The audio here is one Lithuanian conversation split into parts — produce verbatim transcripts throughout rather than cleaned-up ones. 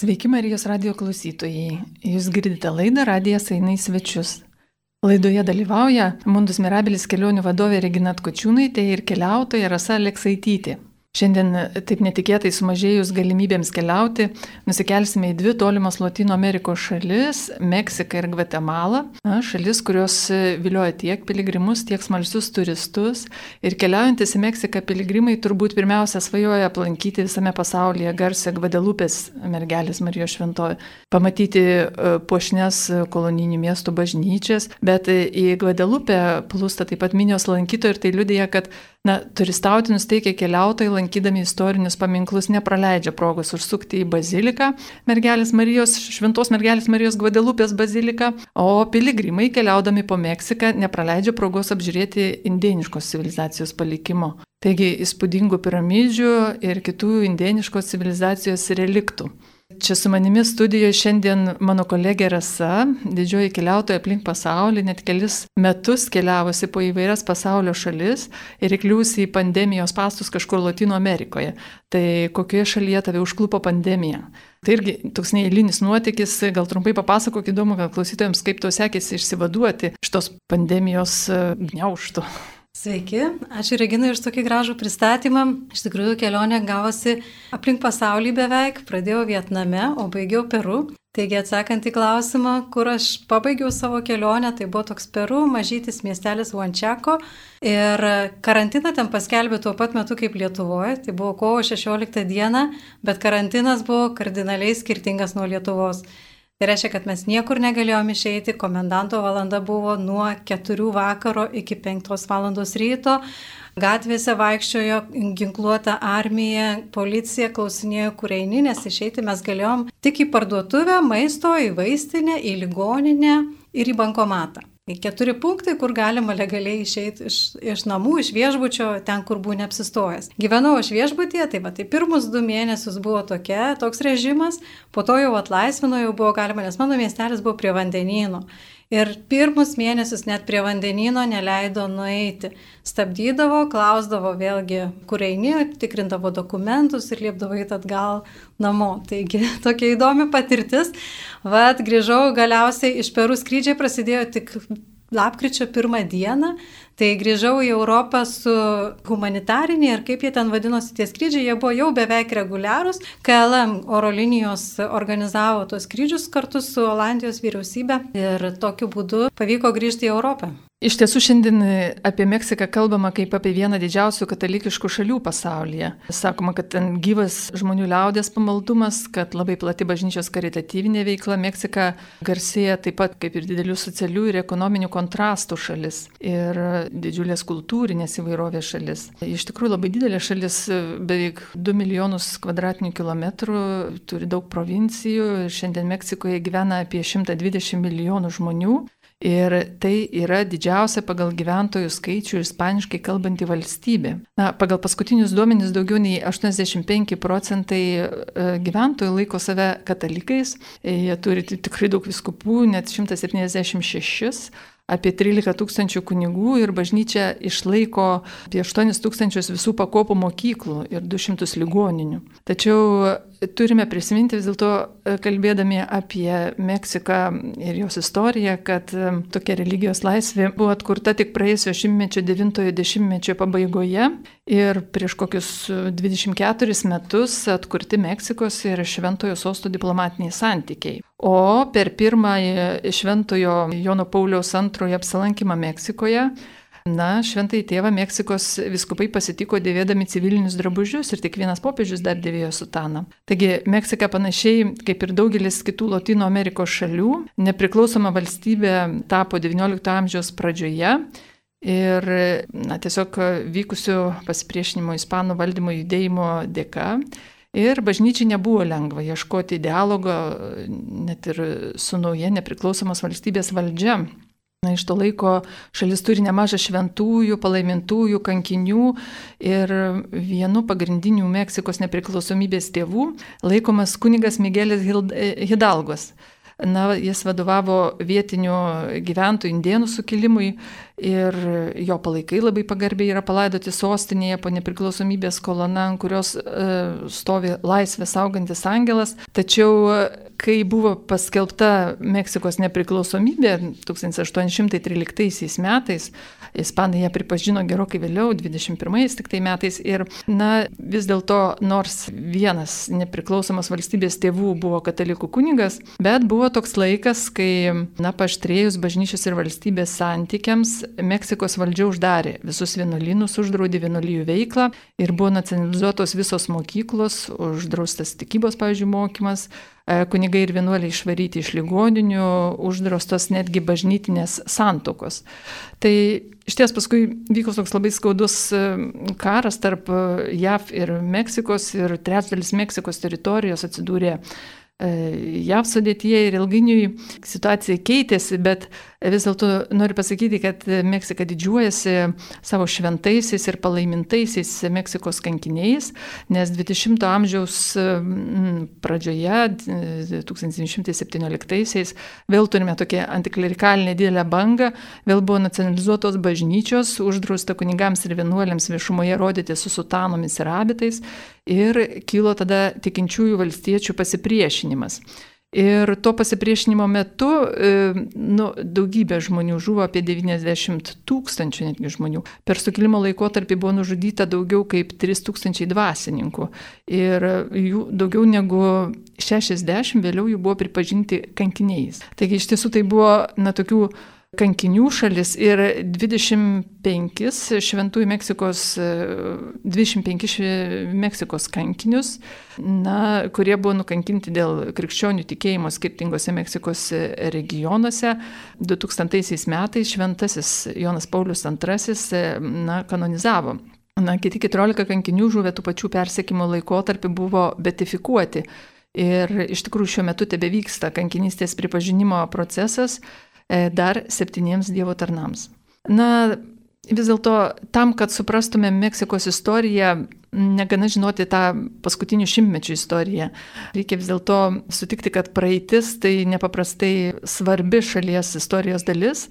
Sveiki Marijos radijo klausytojai. Jūs girdite laidą Radijas eina į svečius. Laidoje dalyvauja Mundus Mirabilis kelionių vadovė Regina Atkočiūnaitė ir keliautoja Rasa Aleksaitytė. Šiandien taip netikėtai sumažėjus galimybėms keliauti, nusikelsime į dvi tolimos Lotynų Amerikos šalis – Meksiką ir Gvatemalą. Na, šalis, kurios vilioja tiek piligrimus, tiek smalsius turistus. Ir keliaujantis į Meksiką piligrimai turbūt pirmiausia svajoja aplankyti visame pasaulyje garsę Gvadelupės mergelės Marijos šventovę, pamatyti puošnias kolonijinių miestų bažnyčias, bet į Gvadelupę plūsta taip pat minios lankytojų ir tai liudija, kad na, turistauti nusteikę keliautojai, lankydami istorinius paminklus, nepraleidžia progos užsukti į baziliką, mergelės Marijos, šventos mergelės Marijos Gvadelupės baziliką, o piligrimai keliaudami po Meksiką nepraleidžia progos apžiūrėti indėniškos civilizacijos palikimo. Taigi įspūdingų piramidžių ir kitų indėniškos civilizacijos reliktų. Čia su manimi studijoje šiandien mano kolegė Rasa, didžioji keliautoja aplink pasaulį, net kelis metus keliavusi po įvairias pasaulio šalis ir įkliūsi į pandemijos pastus kažkur Lotynų Amerikoje. Tai kokioje šalyje tave užklupo pandemija? Tai irgi toks neeilinis nuotykis, gal trumpai papasakok, įdomu, gal klausytojams, kaip tau sekėsi išsivaduoti iš tos pandemijos gniaužtų. Sveiki, ačiū Reginai už tokį gražų pristatymą. Iš tikrųjų, kelionė gavosi aplink pasaulį beveik, pradėjau Vietname, o baigiau Peru. Taigi, atsakant į klausimą, kur aš pabaigiau savo kelionę, tai buvo toks Peru, mažytis miestelis Huanchaco. Ir karantiną ten paskelbė tuo pat metu kaip Lietuvoje, tai buvo kovo šešioliktą dieną, bet karantinas buvo kardinaliai skirtingas nuo Lietuvos. Tai reiškia, kad mes niekur negalėjome išeiti, komendanto valanda buvo nuo keturių vakaro iki penktos valandos ryto, gatvėse vaikščiojo ginkluota armija, policija klausinėjo, kur eini, nes išeiti mes galėjom tik į parduotuvę, maisto, į vaistinę, į ligoninę ir į bankomatą. Tai keturi punktai, kur galima legaliai išeiti iš, iš namų, iš viešbučio, ten, kur buvo neapsistojęs. Gyvenau aš viešbutyje, tai va, tai pirmus du mėnesius buvo tokia, toks režimas, po to jau atlaisvino, jau buvo galima, nes mano miestelis buvo prie vandenyno. Ir pirmus mėnesius net prie vandenyno neleido nueiti. Stabdydavo, klausdavo vėlgi, kur eini, tikrindavo dokumentus ir liepdavo eiti atgal namo. Taigi tokia įdomi patirtis. Vat, grįžau galiausiai iš Peru, skrydžiai prasidėjo tik lapkričio pirmą dieną. Tai grįžau į Europą su humanitariniai ir kaip jie ten vadinosi tie skrydžiai, jie buvo jau beveik reguliarūs. K L M oro linijos organizavo tos skrydžius kartu su Olandijos vyriausybė ir tokiu būdu pavyko grįžti į Europą. Iš tiesų šiandien apie Meksiką kalbama kaip apie vieną didžiausių katalikiškų šalių pasaulyje. Sakoma, kad ten gyvas žmonių liaudės pamaldumas, kad labai plati bažnyčios karitatyvinė veikla. Meksika garsėja taip pat kaip ir didelių socialių ir ekonominių kontrastų šalis ir didžiulės kultūrinės įvairovės šalis. Iš tikrųjų labai didelė šalis, beveik du milijonus kvadratinių kilometrų, turi daug provincijų. Šiandien Meksikoje gyvena apie šimtą dvidešimt milijonų žmonių. Ir tai yra didžiausia pagal gyventojų skaičių ispaniškai kalbanti valstybė. Na, pagal paskutinius duomenis daugiau nei aštuoniasdešimt penki procentai gyventojų laiko save katalikais. Jie turi tikrai daug vyskupų, net šimtas septyniasdešimt šešis. Apie trylika tūkstančių kunigų ir bažnyčia išlaiko apie aštuonis tūkstančius visų pakopų mokyklų ir du šimtus ligoninių. Tačiau turime prisiminti vis dėlto, kalbėdami apie Meksiką ir jos istoriją, kad tokia religijos laisvė buvo atkurta tik praėjusio šimtmečio devintojo dešimtmečio pabaigoje ir prieš kokius dvidešimt keturis metus atkurti Meksikos ir Šventojo sosto diplomatiniai santykiai. O per pirmąjį Šventojo Jono Pauliaus antrojo apsilankymą Meksikoje, na, Šventąjį tėvą Meksikos vyskupai pasitiko dėvėdami civilinius drabužius ir tik vienas popiežius dar dėvėjo sutaną. Taigi Meksika panašiai kaip ir daugelis kitų Lotynų Amerikos šalių, nepriklausoma valstybė tapo devyniolikto amžiaus pradžioje. Ir na, tiesiog vykusių pasipriešinimo ispanų valdymo judėjimo dėka. Ir bažnyčiai nebuvo lengva ieškoti dialogo net ir su nauja nepriklausomos valstybės valdžia. Na, iš to laiko šalis turi nemažą šventųjų, palaimintųjų, kankinių ir vienu pagrindinių Meksikos nepriklausomybės tėvų laikomas kunigas Miguelis Hidalgos. Na, jis vadovavo vietinių gyventojų indėnų sukilimui ir jo palaikai labai pagarbiai yra palaidoti sostinėje po nepriklausomybės kolona, ant kurios e, stovi laisvę saugantis angelas. Tačiau, kai buvo paskelbta Meksikos nepriklausomybė tūkstantis aštuoni šimtai tryliktaisiais metais, ispanai ją pripažino gerokai vėliau, dvidešimt pirmais tik tai metais. Ir, na, vis dėlto, nors vienas nepriklausomas valstybės tėvų buvo katalikų kunigas, bet buvo toks laikas, kai, na, paaštrėjus bažnyčios ir valstybės santykiams, Meksikos valdžia uždarė visus vienuolynus, uždraudė vienuolijų veiklą ir buvo nacionalizuotos visos mokyklos, uždraustas tikybos, pavyzdžiui, mokymas, kunigai ir vienuoliai išvaryti iš ligoninių, uždraustos netgi bažnytinės santuokos. Tai iš ties paskui vyko toks labai skaudus karas tarp J A V ir Meksikos ir trečdalis Meksikos teritorijos atsidūrė J A V sudėtyje ir ilgainiui situacija keitėsi, bet vis dėlto noriu pasakyti, kad Meksika didžiuojasi savo šventaisiais ir palaimintaisiais Meksikos kankiniais, nes dvidešimto amžiaus pradžioje, tūkstantis devyni šimtai septynioliktaisiais, vėl turime tokią antiklerikalinę didelę bangą, vėl buvo nacionalizuotos bažnyčios, uždrausta kunigams ir vienuoliams viešumoje rodyti su sutanomis ir abitais ir kilo tada tikinčiųjų valstiečių pasipriešinimas. Ir to pasipriešinimo metu nu, daugybė žmonių žuvo, apie devyniasdešimt tūkstančių netgi žmonių. Per sukilimo laikotarpį buvo nužudyta daugiau kaip trys tūkstančiai dvasininkų. Ir jų daugiau negu šešiasdešimt vėliau jų buvo pripažinti kankiniais. Taigi iš tiesų tai buvo, na, tokių kankinių šalis ir dvidešimt penkis šventųjų Meksikos, dvidešimt penkis Meksikos kankinius, na, kurie buvo nukankinti dėl krikščionių tikėjimo skirtingose Meksikos regionuose. du tūkstantaisiais metais šventasis Jonas Paulius antrasis, na, kanonizavo. Na, kiti keturiolika kankinių žuvę tų pačių persekimo laikotarpį buvo beatifikuoti. Ir iš tikrųjų šiuo metu tebevyksta kankinystės pripažinimo procesas dar septyniems Dievo tarnams. Na, vis dėlto tam, kad suprastume Meksikos istoriją, negana žinoti tą paskutinių šimtmečių istoriją. Reikia vis dėlto sutikti, kad praeitis tai nepaprastai svarbi šalies istorijos dalis.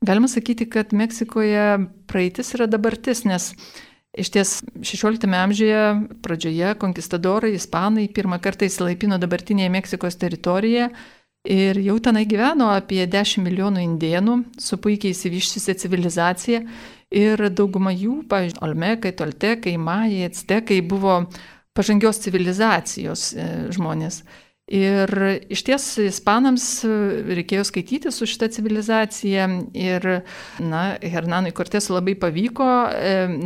Galima sakyti, kad Meksikoje praeitis yra dabartis, nes iš ties šešioliktame amžiuje pradžioje konkistadorai, ispanai pirmą kartą įsilaipino dabartinėje Meksikos teritorijoje. Ir jau tenai gyveno apie dešimt milijonų indėnų su puikiai išsivyščiusia civilizacija ir dauguma jų, pavyzdžiui, Olmekai, Toltekai, Majai, Actekai buvo pažangios civilizacijos žmonės. Ir iš ties ispanams reikėjo skaityti su šitą civilizaciją ir, na, Hernanui Kortesui labai pavyko,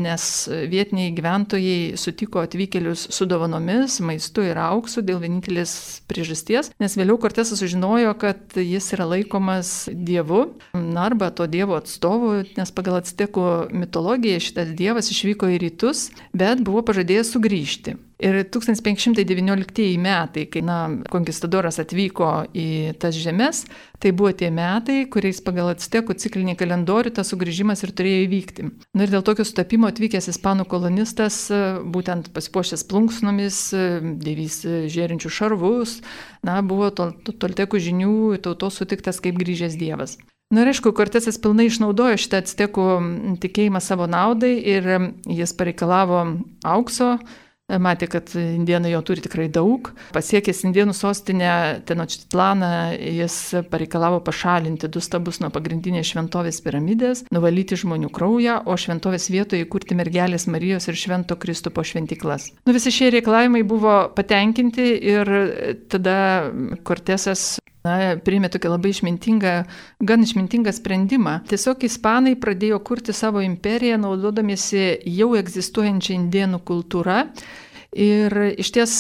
nes vietiniai gyventojai sutiko atvykėlius su dovanomis, maistu ir auksu dėl vienintelės priežasties, nes vėliau Kortesas sužinojo, kad jis yra laikomas dievu, na, arba to dievo atstovu, nes pagal actekų mitologiją šitas dievas išvyko į rytus, bet buvo pažadėjęs sugrįžti. Ir tūkstantis penki šimtai devynioliktieji metai, kai, na, konkistadoras atvyko į tas žemes, tai buvo tie metai, kuriais pagal actekų ciklinį kalendorių tas sugrįžimas ir turėjo įvykti. Na ir dėl tokio sutapimo atvykęs ispanų kolonistas, būtent pasipuošęs plunksnomis, dėvys žėrinčių šarvus, na, buvo toltekų žinių tautos sutiktas kaip grįžęs dievas. Na ir aišku, Kortesas pilnai išnaudojo šitą actekų tikėjimą savo naudai ir jis pareikalavo aukso. Matė, kad indėnai jo turi tikrai daug. Pasiekęs indėnų sostinę Tenochtitlaną, jis pareikalavo pašalinti du stabus nuo pagrindinės šventovės piramidės, nuvalyti žmonių kraują, o šventovės vietoje įkurti mergelės Marijos ir Švento Kristupo šventyklas. Nu, visi šie reikalavimai buvo patenkinti ir tada Kortesas Na, priėmė tokį labai išmintingą, gan išmintingą sprendimą. Tiesiog ispanai pradėjo kurti savo imperiją, naudodamiesi jau egzistuojančią indėnų kultūrą. Ir iš ties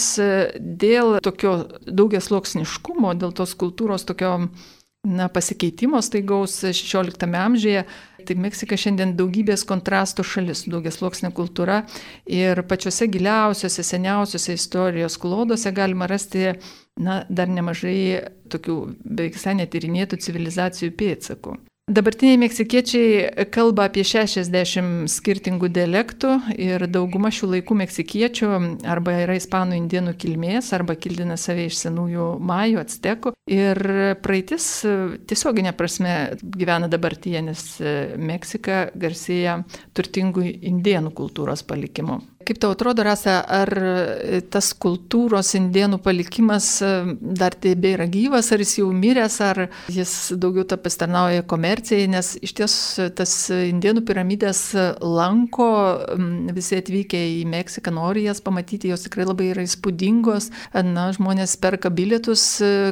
dėl tokio daugiasluoksniškumo, dėl tos kultūros tokio na, pasikeitimo staigaus šešioliktame amžiuje, tai Meksika šiandien daugybės kontrastų šalis, daugiasluoksnė kultūra ir pačiose giliausiose, seniausiose istorijos klodose galima rasti na, dar nemažai tokių beveik visai netyrinėtų civilizacijų pėdsakų. Dabartiniai meksikiečiai kalba apie šešiasdešimt skirtingų dialektų ir dauguma šių laikų meksikiečių arba yra ispanų indėnų kilmės, arba kildina save iš senųjų majų, actekų. Ir praeitis tiesioginė prasme gyvena dabartyje, nes Meksika garsėja turtingų indėnų kultūros palikimu. Kaip tau atrodo, Rasa, ar tas kultūros indėnų palikimas dar tebėra gyvas, ar jis jau miręs, ar jis daugiau ta pasitarnauja komercijai, nes iš ties tas indėnų piramidės lanko visi atvykę į Meksiką, nori jas pamatyti, jos tikrai labai yra įspūdingos, na, žmonės perka bilietus,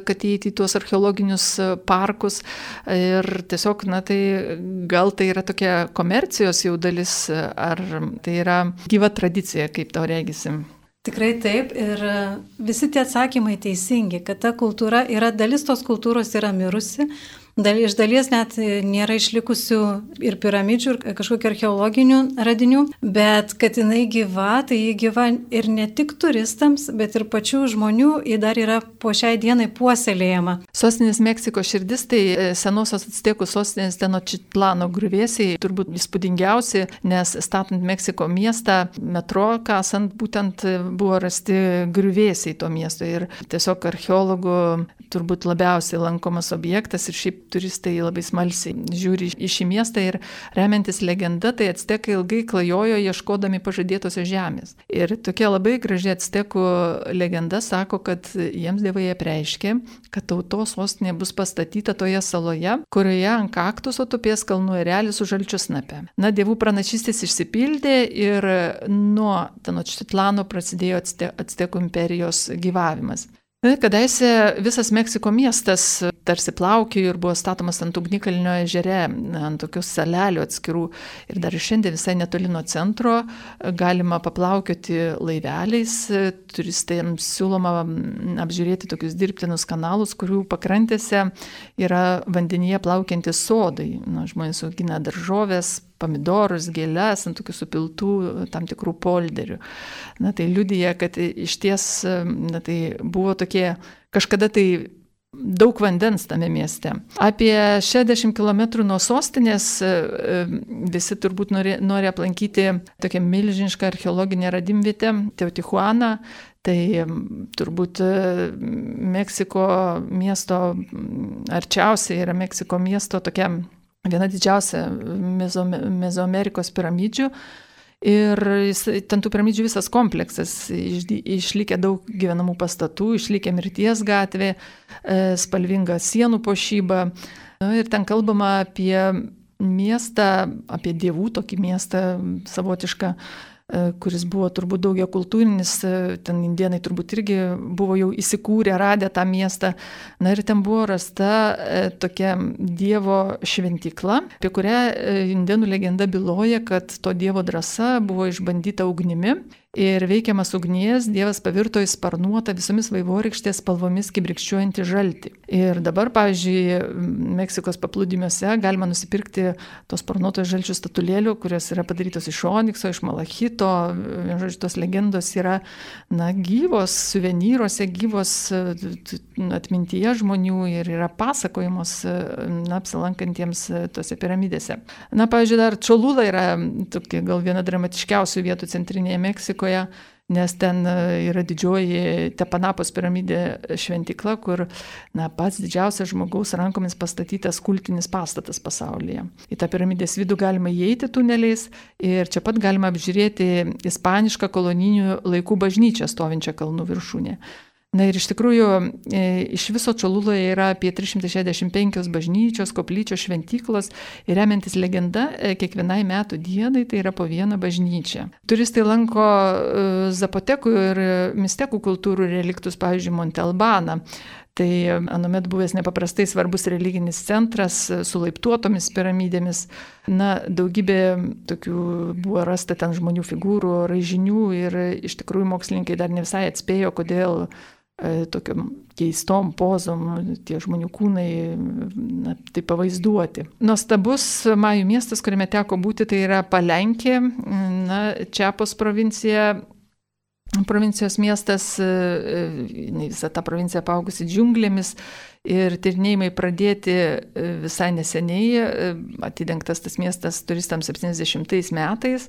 kad įeiti į tuos archeologinius parkus ir tiesiog, na, tai gal tai yra tokia komercijos jau dalis, ar tai yra gyva tradicija, kaip tau regisim? Tikrai taip, ir visi tie atsakymai teisingi, kad ta kultūra yra, dalis tos kultūros yra mirusi, dal, iš dalies net nėra išlikusių ir piramidžių, ir kažkokių archeologinių radinių, bet kad jinai gyva, tai ji gyva ir ne tik turistams, bet ir pačių žmonių, ji dar yra po šiai dienai puoselėjama. Sostinės Meksikos širdis, tai senosios actekų sostinės Tenochtitlano griuvėsiai turbūt įspūdingiausi, nes statant Meksiko miestą, metro kasant, būtent buvo rasti griuvėsiai to miesto ir tiesiog archeologų turbūt labiausiai lankomas objektas ir šiaip turistai labai smalsiai žiūri į šį miestą ir remiantis legenda, tai actekai ilgai klajojo ieškodami pažadėtosios žemės. Ir tokia labai graži actekų legenda sako, kad jiems dievai apreiškė, kad tautos sostinė bus pastatyta toje saloje, kurioje ant kaktuso tupės kalnų erelis su žalčiusnape. Na, dievų pranašystės išsipildė ir nuo Tenochtitlano prasidėjo actekų imperijos gyvavimas. Kadaise visas Meksiko miestas tarsi plaukiojo ir buvo statomas ant ugnikalnio ežere, ant tokių salelių atskirų. Ir dar šiandien visai netoli nuo centro galima paplaukioti laiveliais. Turistams siūloma apžiūrėti tokius dirbtinus kanalus, kurių pakrantėse yra vandenyje plaukiantys sodai. Na, žmonės augina daržovės, pomidorus, gėles ant tokių supiltų tam tikrų polderių. Na, tai liudija, kad iš ties na, tai buvo tokie kažkada tai daug vandens tame mieste. Apie šešiasdešimt kilometrų nuo sostinės visi turbūt nori, nori aplankyti tokią milžinišką archeologinę radimvietę Teotihuaną. Tai turbūt Meksiko miesto arčiausiai yra Meksiko miesto tokia viena didžiausia Mezoamerikos piramidžių. Ir ten tų piramidžių visas kompleksas, išlikę daug gyvenamų pastatų, išlikę Mirties gatvė, spalvinga sienų puošyba. Ir ten kalbama apie miestą, apie dievų tokį miestą savotišką, kuris buvo turbūt daugia kultūrinis, ten indėnai turbūt irgi buvo jau įsikūrę, radę tą miestą. Na ir ten buvo rasta tokia dievo šventykla, apie kurią indėnų legenda byloja, kad to dievo drąsa buvo išbandyta ugnimi. Ir veikiamas ugnies dievas pavirto į sparnuotą visomis vaivorykštės spalvomis kibrikščiuojantį žaltį. Ir dabar, pavyzdžiui, Meksikos paplūdimiuose galima nusipirkti tos sparnuotos žalčių statulėlių, kurios yra padarytos iš onikso, iš malachito. Žodžiu, tos legendos yra na, gyvos, suvenyruose, gyvos atmintyje žmonių ir yra pasakojamos na, apsilankantiems tose piramidėse. Na, pavyzdžiui, dar Čolula yra tokia gal viena dramatiškiausių vietų centrinėje Meksikoje, nes ten yra didžioji Tepanapos piramidė šventykla, kur na, pats didžiausias žmogaus rankomis pastatytas kultinis pastatas pasaulyje. Į tą piramidės vidų galima įeiti tuneliais ir čia pat galima apžiūrėti ispanišką kolonijinių laikų bažnyčią stovinčią kalnų viršūnė. Na ir iš tikrųjų iš viso Čoluloje yra apie trys šimtai šešiasdešimt penkios bažnyčios, koplyčios, šventyklos ir remiantis legenda kiekvienai metų dienai tai yra po vieną bažnyčią. Turistai lanko zapotekų ir mistekų kultūrų reliktus, pavyzdžiui, Monte Albaną. Tai anuomet buvęs nepaprastai svarbus religinis centras su laiptuotomis piramidėmis. Na, daugybė tokių buvo rasta ten žmonių figūrų, raižinių ir iš tikrųjų mokslininkai dar ne visai atspėjo, kodėl tokiam keistom pozom tie žmonių kūnai na, tai pavaizduoti. Nuostabus majų miestas, kuriame teko būti, tai yra Palenkė, na, Čiapos provincija. provincijos miestas, visa ta provincija apaugusi džiunglėmis ir tyrinėjimai pradėti visai neseniai, atidengtas tas miestas turistams septyniasdešimtais metais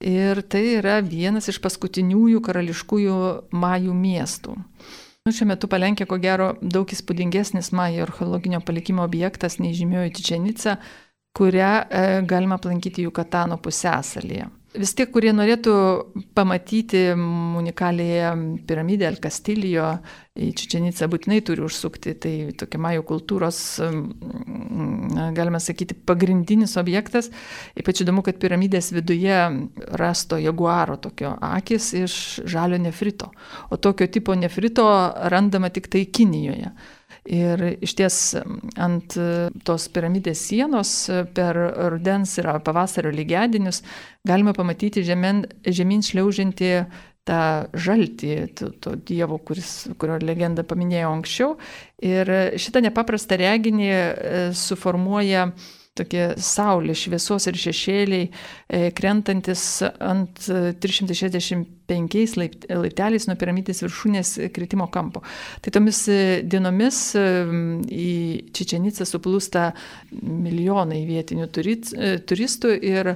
ir tai yra vienas iš paskutiniųjų karališkųjų majų miestų. Šiuo metu Palenkė, ko gero, daug įspūdingesnis majų archeologinio palikimo objektas nei žymioji Čičen Ica, kurią galima aplankyti Jukatano pusiasalyje. Vis tiek, kurie norėtų pamatyti unikaliąją piramidę El Castillo, į Čičen Icą būtinai turi užsukti. Tai tokia majų kultūros, galime sakyti, pagrindinis objektas. Ypač įdomu, kad piramidės viduje rasto jaguaro tokio akis iš žalio nefrito. O tokio tipo nefrito randama tik tai Kinijoje. Ir iš ties ant tos piramidės sienos per rudens ir pavasario lygiadienius galima pamatyti žemyn, žemyn šliaužiantį tą žaltį, to, to dievo, kuris, kurio legendą paminėjau anksčiau. Ir šitą nepaprastą reginį suformuoja tokie saulės šviesos ir šešėliai, krentantis ant trys šimtai šešiasdešimt penkiais laipteliais nuo piramidės viršūnės kritimo kampo. Tai tomis dienomis į Čičen Icą suplūsta milijonai vietinių turistų ir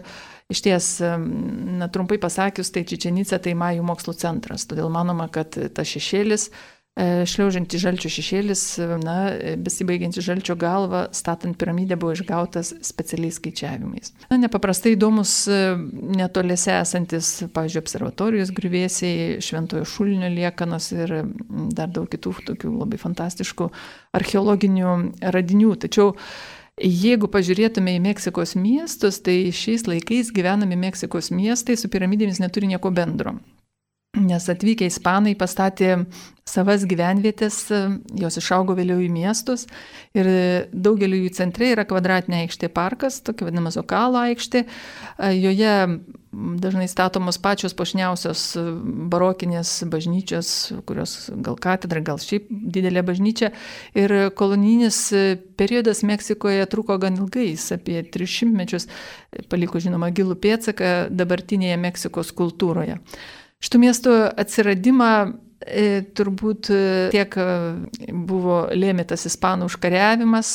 iš ties, na, trumpai pasakius, tai Čičen Ica tai majų mokslų centras. Todėl manoma, kad tas šešėlis, šliaužiantis žalčio šešėlis, na, besibaigiantis žalčio galva, statant piramidę, buvo išgautas specialiais skaičiavimais. Na, nepaprastai įdomus netoliese esantis, pavyzdžiui, observatorijos griuvėsiai, Šventojo Šulinio liekanos ir dar daug kitų tokių labai fantastiškų archeologinių radinių. Tačiau jeigu pažiūrėtume į Meksikos miestus, tai šiais laikais gyvenami Meksikos miestai su piramidėmis neturi nieko bendro. Nes atvykę ispanai pastatė savas gyvenvietės, jos išaugo vėliau į miestus ir daugeliu jų centre yra kvadratinė aikštė parkas, tokia vadinama Zokalo aikštė. Joje dažnai statomos pačios puošniausios barokinės bažnyčios, kurios gal katedra, gal šiaip didelė bažnyčia. Ir kolonijinis periodas Meksikoje truko gan ilgai, apie tris šimtmečius, paliko žinoma gilų pėdsaką dabartinėje Meksikos kultūroje. Šitų miestų atsiradimą e, turbūt tiek buvo lėmė tas ispanų užkariavimas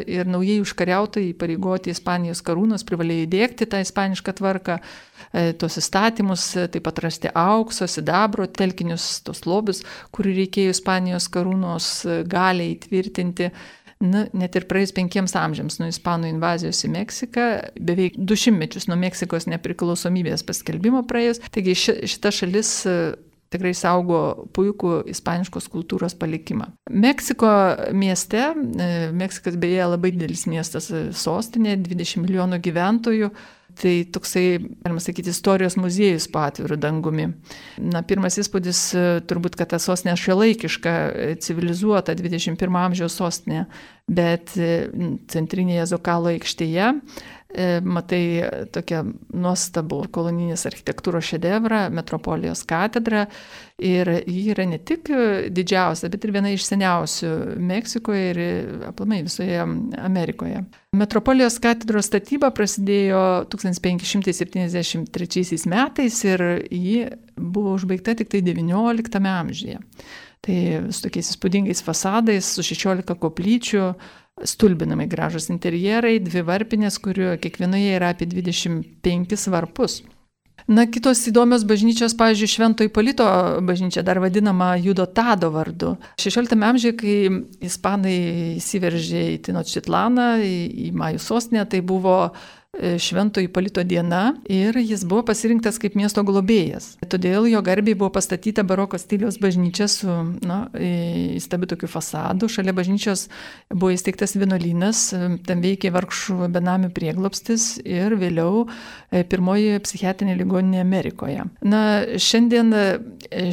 ir naujai užkariautojai įpareigoti Ispanijos karūnos privalėjo įdiegti tą ispanišką tvarką, e, tos įstatymus, taip pat rasti aukso, sidabro, telkinius, tos lobius, kurių reikėjo Ispanijos karūnos galiai įtvirtinti. Na, net ir praėjus penkiems amžiams nuo ispanų invazijos į Meksiką, beveik du šimtmečius nuo Meksikos nepriklausomybės paskelbimo praėjus, taigi ši, šita šalis tikrai saugo puikų ispaniškos kultūros palikimą. Meksiko mieste, Meksikas beje labai didelis miestas, sostinė, dvidešimt milijonų gyventojų, tai toksai, galima sakyti, istorijos muziejus po atviru dangumi. Na, pirmas įspūdis turbūt, kad ta sostinė šiuolaikiška, civilizuota dvidešimt pirmo amžiaus sostinė, bet centrinėje Zokalo aikštėje matai tokią nuostabų kolonijinės architektūros šedevrą, Metropolijos katedrą, ir ji yra ne tik didžiausia, bet ir viena iš seniausių Meksikoje ir aplamai visoje Amerikoje. Metropolijos katedros statyba prasidėjo tūkstantis penki šimtai septyniasdešimt trečiaisiais metais ir ji buvo užbaigta tik tai devynioliktame amžiuje. Tai su tokiais įspūdingais fasadais, su šešiolika koplyčių, stulbinamai gražus interjerai, dvi varpinės, kurių kiekvienoje yra apie dvidešimt penkis varpus. Na, kitos įdomios bažnyčios, pavyzdžiui, Švento Ipolito bažnyčia, dar vadinama Judotado vardu. šešioliktame amžiuje, kai ispanai įsiveržė į Tenochtitlaną, į, į majų sostinę, tai buvo Švento Ipolito diena ir jis buvo pasirinktas kaip miesto globėjas. Todėl jo garbei buvo pastatyta baroko stiliaus bažnyčia su, na, įstabiu tokiu fasadu. Šalia bažnyčios buvo įsteigtas vienuolynas, ten veikė vargšų benamių prieglobstis ir vėliau pirmoji psichiatrinė ligoninė Amerikoje. Na, šiandien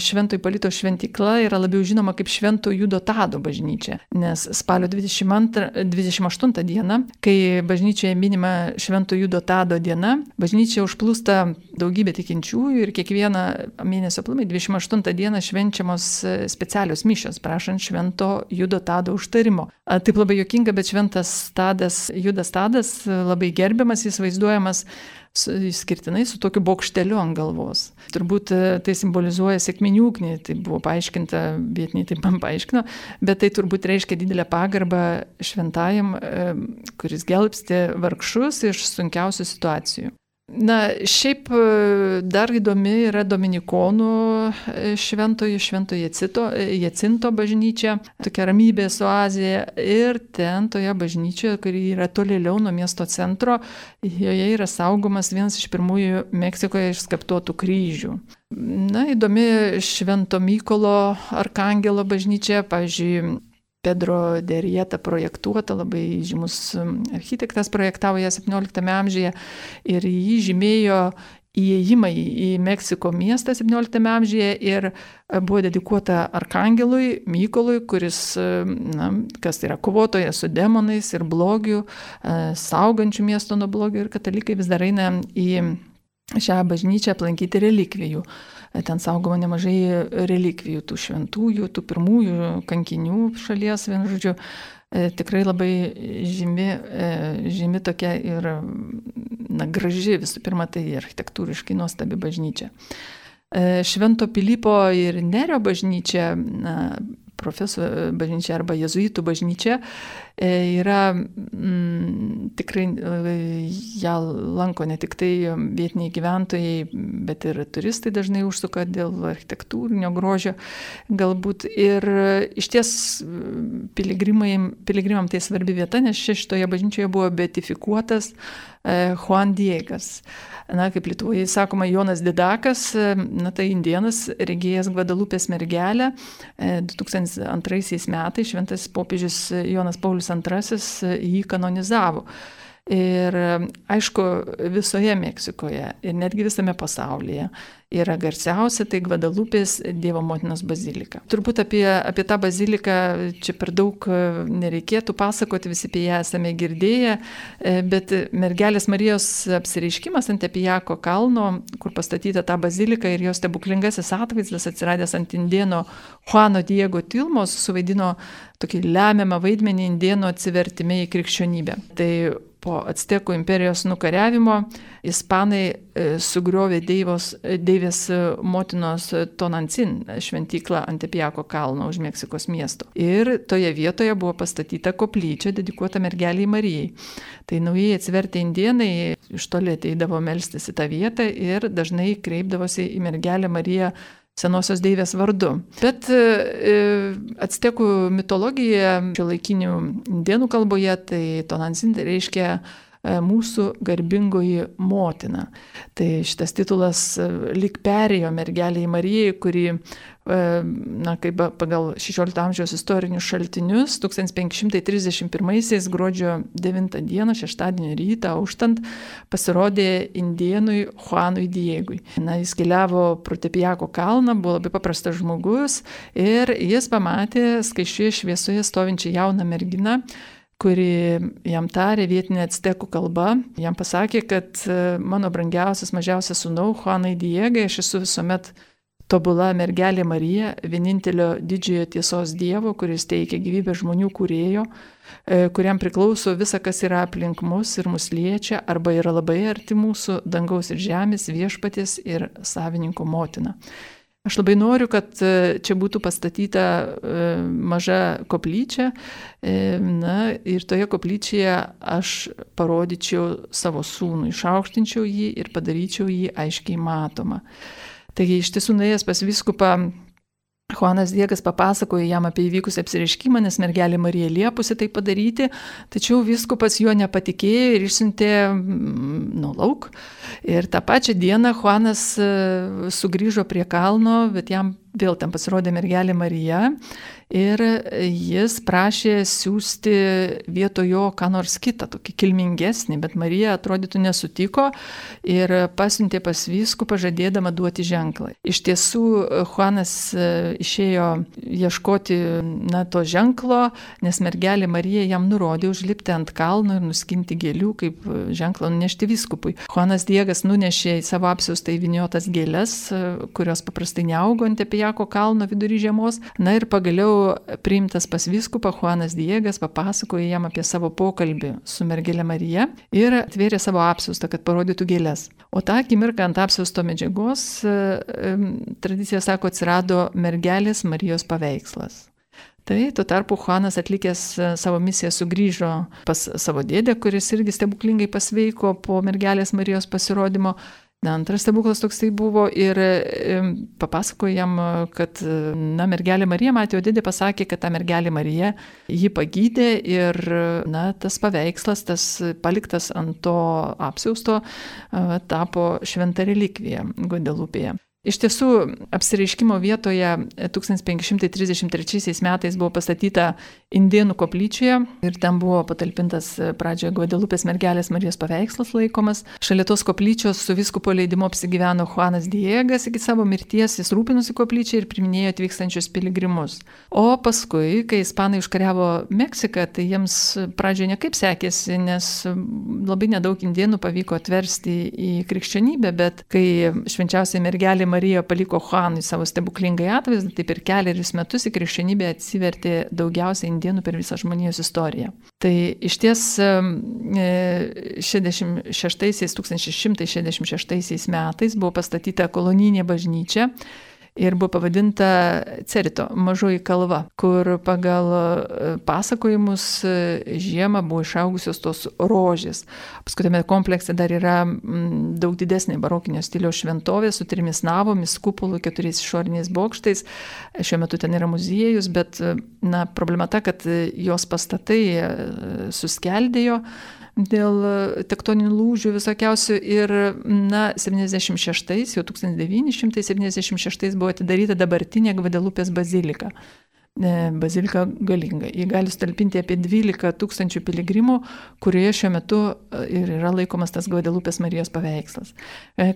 Švento Ipolito šventykla yra labiau žinoma kaip Švento Judotado bažnyčia, nes spalio dvidešimt antrą, dvidešimt aštuntą dieną, kai bažnyčioje minima Švento Judotado diena, bažnyčia užplūsta daugybė tikinčiųjų ir kiekvieną mėnesio aplamai dvidešimt aštuntą dieną švenčiamos specialios mišios, prašant Švento Judotado užtarimo. Taip labai juokinga, bet šventas Tadas, Judas Tadas, labai gerbiamas, jis vaizduojamas su, išskirtinai su tokiu bokšteliu ant galvos. Turbūt tai simbolizuoja sekminių ugnį, tai buvo paaiškinta, vietiniai taip man paaiškino, bet tai turbūt reiškia didelę pagarbą šventajam, kuris gelbsti vargšus iš sunkiausių situacijų. Na, šiaip dar įdomi yra dominikonų šventojo, šventojo Jacito, Jacinto bažnyčia, tokia ramybės oazė, ir ten toje bažnyčioje, kuri yra tolėliau nuo miesto centro, joje yra saugomas vienas iš pirmųjų Meksikoje išskaptuotų kryžių. Na, įdomi Švento Mykolo Arkangelo bažnyčia, pavyzdžiui, Pedro de Rieta projektuota, labai žymus architektas projektavo ją septynioliktame amžiuje ir jį žymėjo įėjimą į Meksiko miestą septynioliktame amžiuje ir buvo dedikuota Arkangelui Mykolui, kuris, na, kas tai yra kovotojas su demonais ir blogiu, saugančių miesto nuo blogio, ir katalikai vis dar eina į šią bažnyčią aplankyti relikvijų. Ten saugoma nemažai relikvijų, tų šventųjų, tų pirmųjų kankinių šalies, vienu žodžiu, tikrai labai žymi, žymi tokia ir, na, graži, visų pirma, tai architektūriškai nuostabi bažnyčia. Švento Pilypo ir Nerio bažnyčia, na, profesorių bažnyčia arba jezuitų bažnyčia, yra mm, tikrai ją lanko ne tik tai vietiniai gyventojai, bet ir turistai dažnai užsuka dėl architektūrinio grožio galbūt. Ir iš ties piligrimam tai svarbi vieta, nes šitoje bažnyčioje buvo beatifikuotas Juan Diegas. Na, kaip Lietuvoje sakoma, Jonas Didakas, na, tai indėnas, regėjęs Gvadalupės mergelę. du tūkstantis antraisiais metais šventas popiežius Jonas Paulius antrasis jį kanonizavo. Ir aišku, visoje Meksikoje ir netgi visame pasaulyje yra garsiausia tai Gvadalupės Dievo motinos bazilika. Turbūt apie, apie tą baziliką čia per daug nereikėtų pasakoti, visi apie ją esame girdėję, bet mergelės Marijos apsireiškimas ant Tepijako kalno, kur pastatyta ta bazilika, ir jos stebuklingasis atvaizdas atsiradęs ant indėno Juano Diego Tilmos suvaidino tokį lemiamą vaidmenį indėno atsivertime į krikščionybę. Tai po Actekų imperijos nukariavimo ispanai e, sugriovė Deivos, Deivės motinos Tonancin šventyklą ant Tepijako kalno už Meksikos miesto. Ir toje vietoje buvo pastatyta koplyčia dedikuota mergeliai Marijai. Tai naujai atsivertę indėnai iš toli ateidavo melstis į tą vietą ir dažnai kreipdavosi į mergelę Mariją senosios deivės vardu. Bet e, actekų mitologija šiuolaikinių indėnų kalboje, tai Tonancin reiškia e, mūsų garbingoji motina. Tai šitas titulas e, lyg perėjo mergeliai Marijai, kuri, e, na, kaip pagal šešiolikto amžiaus istorinius šaltinius, tūkstantis penki šimtai trisdešimt pirmaisiais gruodžio devintą dieną, šeštadienio rytą, auštant, pasirodė indėnui Juanui Diegui. Na, jis keliavo pro Tepijako kalną, buvo labai paprastas žmogus ir jis pamatė skaisčioje šviesoje stovinčią jauną merginą, kuri jam tarė vietinė actekų kalba. Jam pasakė, kad mano brangiausias, mažiausias sūnau, Juanai Diegai, aš esu visuomet tobula mergelė Marija, vienintelio didžiojo tiesos Dievo, kuris teikia gyvybę žmonių kūrėjo, kuriam priklauso visa, kas yra aplink mus ir mus liečia, arba yra labai arti mūsų, dangaus ir žemės, viešpaties ir savininko motina. Aš labai noriu, kad čia būtų pastatyta maža koplyčia, na, ir toje koplyčioje aš parodyčiau savo sūnų, išaukštinčiau jį ir padaryčiau jį aiškiai matomą. Taigi iš tiesų nuėjęs pas vyskupą, Juanas Diegas papasakojo jam apie įvykusį apsireiškimą, nes mergelė Marija liepusi tai padaryti, tačiau vyskupas juo nepatikėjo ir išsiuntė nu, lauk. Ir tą pačią dieną Juanas sugrįžo prie kalno, bet jam vėl ten pasirodė mergelė Marija ir jis prašė siūsti vietoj jo ką nors kitą, tokį kilmingesnį, bet Marija atrodytų nesutiko ir pasiuntė pas vyskupą žadėdama duoti ženklą. Iš tiesų, Juanas išėjo ieškoti na, to ženklo, nes mergelė Marija jam nurodė užlipti ant kalno ir nuskinti gėlių, kaip ženklą nunešti vyskupui. Juanas Diegas nunešė į savo apsiaustą įvyniotas gėles, kurios paprastai neaugo ant Tepijako kalno vidury žiemos. Na ir pagaliau priimtas pas vyskupą Juanas Diegas papasakojo jam apie savo pokalbį su mergele Marija ir atvėrė savo apsiaustą, kad parodytų gėles. O tą akimirką ant apsiausto medžiagos, tradicija sako, atsirado mergelės Marijos paveikslas. Tai tuo tarpu Juanas atlikęs savo misiją sugrįžo pas savo dėdę, kuris irgi stebuklingai pasveiko po mergelės Marijos pasirodymo. Na, antras stebuklas toks tai buvo ir papasakojo jam, kad na, mergelė Marija matė, o dėdė pasakė, kad ta mergelė Marija jį pagydė ir na, tas paveikslas, tas paliktas ant to apsiausto, tapo šventa relikvija Gvadelupėje. Iš tiesų, apsireiškimo vietoje tūkstantis penki šimtai trisdešimt trečiaisiais metais buvo pastatyta Indėnų koplyčioje ir ten buvo patalpintas pradžioje Gvadelupės mergelės Marijos paveikslas laikomas. Šalia tos koplyčios su vyskupo leidimu apsigyveno Juanas Diegas, iki savo mirties jis rūpinosi koplyčiai ir priminėjo atvykstančius piligrimus. O paskui, kai ispanai užkariavo Meksiką, tai jiems pradžioje nekaip sekėsi, nes labai nedaug indėnų pavyko atversti į krikščionybę, bet kai švenčiausiai mergelė Marija paliko Juanui savo stebuklingai atvaizdą, tai per kelerius metus į krikščionybę atsivertė daugiausiai indėnų per visą žmonijos istoriją. Tai iš ties tūkstantis šimtas šešiasdešimt šeštaisiais metais buvo pastatyta kolonijinė bažnyčia ir buvo pavadinta Cerito, mažoji kalva, kur pagal pasakojimus žiemą buvo išaugusios tos rožės. Paskui tame komplekse dar yra daug didesnė barokinio stiliaus šventovė su trimis navomis, kupolų, keturiais išoriniais bokštais. Šiuo metu ten yra muziejus, bet na, problema ta, kad jos pastatai suskeldėjo dėl tektoninių lūžių visokiausių ir na, septyniasdešimt šeštais, jau tūkstantis devyni šimtai septyniasdešimt šeštais buvo atidaryta dabartinė Gvadelupės bazilika. Bazilika galinga. Ji gali sutalpinti apie dvylika tūkstančių piligrimų, kurioje šiuo metu ir yra laikomas tas Gvadelupės Marijos paveikslas.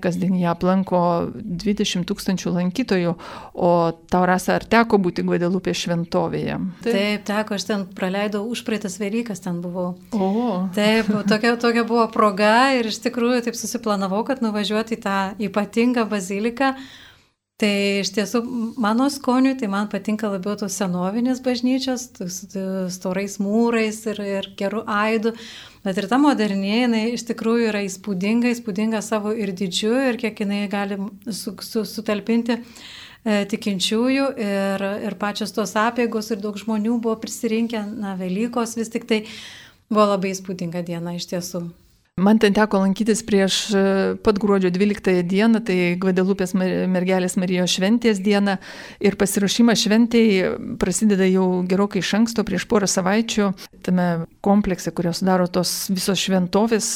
Kasdien ją aplanko dvidešimt tūkstančių lankytojų, o tau, Rasa, ar teko būti Gvadelupės šventovėje? Taip, Taip teko, aš ten praleidau užpraeitas Velykas, ten buvau. O. Taip, tokia, tokia buvo proga ir iš tikrųjų taip susiplanavau, kad nuvažiuoti į tą ypatingą baziliką. Tai iš tiesų mano skoniui, tai man patinka labiau tos senovinės bažnyčios, storais mūrais ir, ir gerų aidų, bet ir ta modernė, jinai iš tikrųjų yra įspūdinga, įspūdinga savo ir dydžiu ir kiek jinai gali su, su, sutalpinti e, tikinčiųjų ir, ir pačios tos apeigos ir daug žmonių buvo prisirinkę, na, Velykos vis tik tai buvo labai įspūdinga diena iš tiesų. Man ten teko lankytis prieš pat gruodžio dvyliktąją dieną, tai Gvadelupės mergelės Marijos šventės dieną ir pasiruošimas šventėj prasideda jau gerokai iš anksto, prieš porą savaičių, tame komplekse, kurio sudaro tos visos šventovės,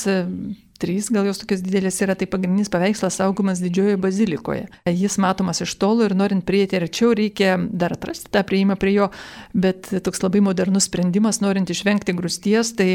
trys, gal jos tokios didelės yra, tai pagrindinis paveikslas saugomas didžiojoje bazilikoje. Jis matomas iš tolo ir norint prieiti arčiau reikia dar atrasti tą prieimą prie jo, bet toks labai modernus sprendimas, norint išvengti grūsties, tai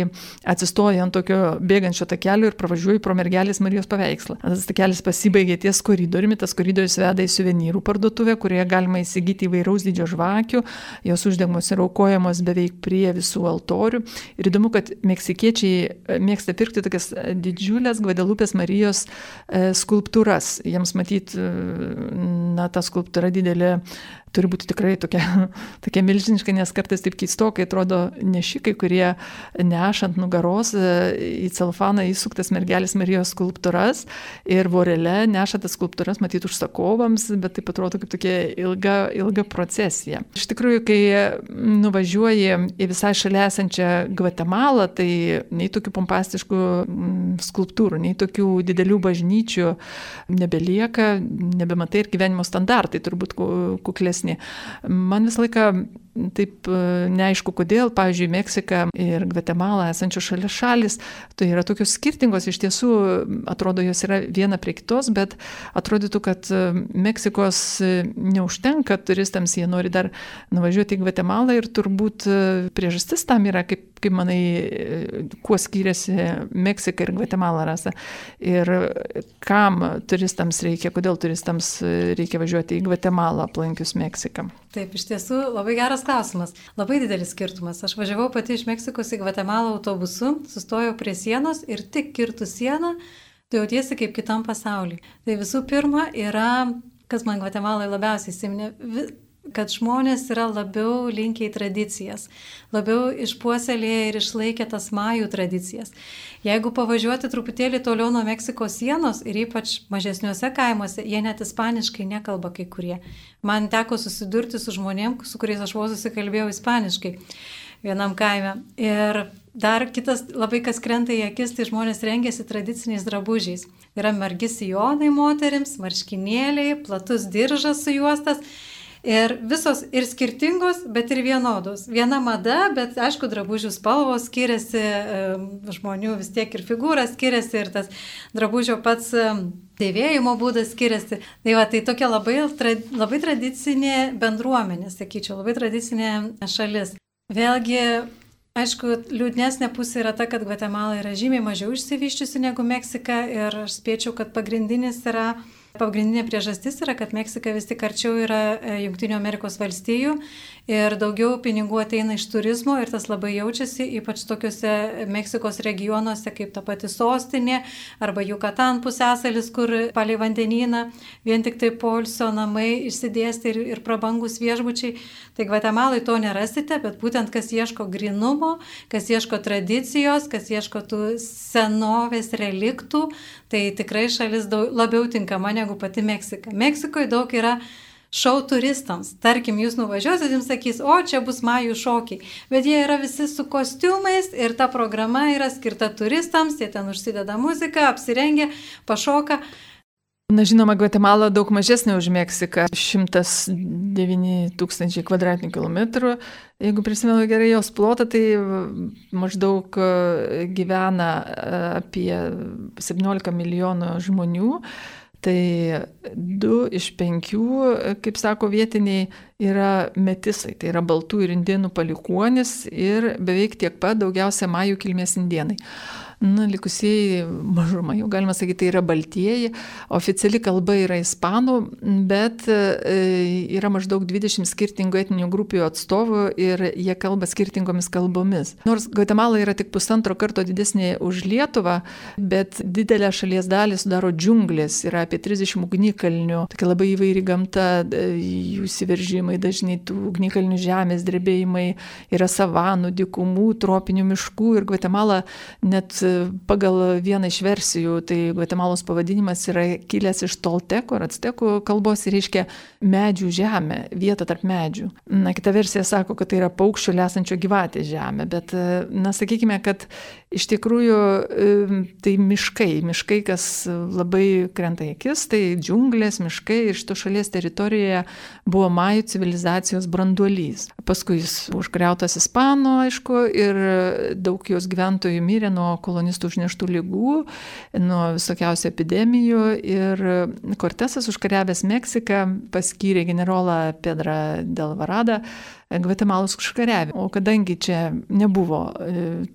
atsistoji ant tokio bėgančio takelio ir pravažiuoji pro mergelės Marijos paveikslą. Tas takelis pasibaigė ties koridoriumi, tas koridorius veda į suvenyrų parduotuvę, kurioje galima įsigyti įvairaus dydžio žvakių, jos uždegamos ir aukojamos beveik prie visų altorių. Ir įdomu, kad meksikiečiai mėgsta pirkti tokias didžiulės Gvadelupės Marijos e, skulptūras. Jiems matyt, na, ta skulptūra didelė turi būti tikrai tokia, tokia milžiniška, nes kartais taip keistokai atrodo nešikai, kurie nešant nugaros į celfaną įsuktas mergelės Marijos skulptūras ir vorele neša tas skulptūras matyti užsakovams, bet taip atrodo kaip tokia ilga, ilga procesija. Iš tikrųjų, kai nuvažiuoji į visai šalia esančią Gvatemalą, tai nei tokių pompastiškų skulptūrų, nei tokių didelių bažnyčių nebelieka, nebematai ir gyvenimo standartai turbūt kuklesni. Man visą laiką taip neaišku kodėl, pavyzdžiui, Meksika ir Gvatemala esančios šalia šalis, tai yra tokios skirtingos, iš tiesų atrodo jos yra viena prie kitos, bet atrodytų, kad Meksikos neužtenka turistams, jie nori dar nuvažiuoti į Gvatemalą ir turbūt priežastis tam yra, kaip, kaip manai, kuo skiriasi Meksika ir Gvatemala, Rasa, ir kam turistams reikia, kodėl turistams reikia važiuoti į Gvatemalą aplankius Meksiką. Taip, iš tiesų labai geras klausimas. Labai didelis skirtumas. Aš važiavau pati iš Meksikos į Gvatemalą autobusu, sustojau prie sienos ir tik kirtų sieną, tu jautiesi kaip kitam pasaulyje. Tai visų pirma yra, kas man Gvatemaloje labiausiai įsiminė, kad žmonės yra labiau linkę į tradicijas, labiau išpuoselėję ir išlaikę tas majų tradicijas. Jeigu pavažiuoti truputėlį toliau nuo Meksikos sienos ir ypač mažesniuose kaimuose, jie net ispaniškai nekalba kai kurie. Man teko susidurti su žmonėm, su kuriais aš vos susikalbėjau ispaniškai vienam kaime. Ir dar kitas labai kas krenta į akis, tai žmonės rengiasi tradiciniais drabužiais. Yra margi sijonai moterims, marškinėliai, platus diržas sujuostas. Ir visos ir skirtingos, bet ir vienodos. Viena mada, bet aišku, drabužių spalvos skiriasi, žmonių vis tiek ir figūra skiriasi, ir tas drabužio pats dėvėjimo būdas skiriasi. Tai va, tai tokia labai, labai tradicinė bendruomenė, sakyčiau, labai tradicinė šalis. Vėlgi, aišku, liūdnesnė pusė yra ta, kad Gvatemala yra žymiai mažiau išsivyščiusi negu Meksika, ir aš spėčiau, kad pagrindinis yra Pagrindinė priežastis yra, kad Meksika vis tik arčiau yra Jungtinių Amerikos valstijų ir daugiau pinigų ateina iš turizmo, ir tas labai jaučiasi, ypač tokiuose Meksikos regionuose kaip ta pati sostinė arba Jukatan pusiasalis, kur palei vandenyną vien tik tai poilsio namai išsidėsti ir, ir prabangus viešbučiai. Tai Gvatemalai to nerasite, bet būtent kas ieško grynumo, kas ieško tradicijos, kas ieško tų senovės reliktų, tai tikrai šalis daug, labiau tinkama negu pati Meksika. Meksikoje daug yra šou turistams. Tarkim, jūs nuvažiuosit, jums sakys, o čia bus majų šokiai. Bet jie yra visi su kostiumais ir ta programa yra skirta turistams, jie ten užsideda muziką, apsirengia, pašoka. Na, žinoma, Gvatemala daug mažesnė už Meksiką, šimtas devyni tūkstančiai kvadratinių kilometrų. Jeigu prisimenu gerai jos plotą, tai maždaug gyvena apie septyniolika milijonų žmonių. Tai du iš penkių, kaip sako vietiniai, yra metisai, tai yra baltų ir indėnų palikuonis, ir beveik tiek pat daugiausia majų kilmės indėnai. Na, likusieji mažuma, jau galima sakyti, tai yra baltieji. Oficiali kalba yra ispanų, bet yra maždaug dvidešimt skirtingų etninių grupių atstovų ir jie kalba skirtingomis kalbomis. Nors Gvatemala yra tik pusantro karto didesnė už Lietuvą, bet didelę šalies dalį sudaro džiunglės, yra apie trisdešimt ugnikalnių, tokia labai įvairi gamta, jų įsiveržimai, dažnai tų ugnikalnių žemės drebėjimai, yra savanų, dykumų, tropinių miškų, ir Gvatemala net pagal vieną iš versijų, tai Gvatemalos pavadinimas yra kilęs iš toltekų ar actekų kalbos ir reiškia medžių žemė, vieta tarp medžių. Na, kita versija sako, kad tai yra paukščio lesančio gyvatės žemė, bet, na, sakykime, kad iš tikrųjų tai miškai, miškai, kas labai krenta į akis, tai džiunglės, miškai, ir šito šalies teritorijoje buvo majų civilizacijos branduolys. Paskui jis buvo užgriautas ispanų, aišku, ir daug jos gyventojų mirė nuo kolonistų užneštų ligų, nuo visokiausių epidemijų, ir Kortesas, užkariavęs Meksiką, paskyrė generolą Pedrą de Alvarado Gvatemalos užkariavimą. O kadangi čia nebuvo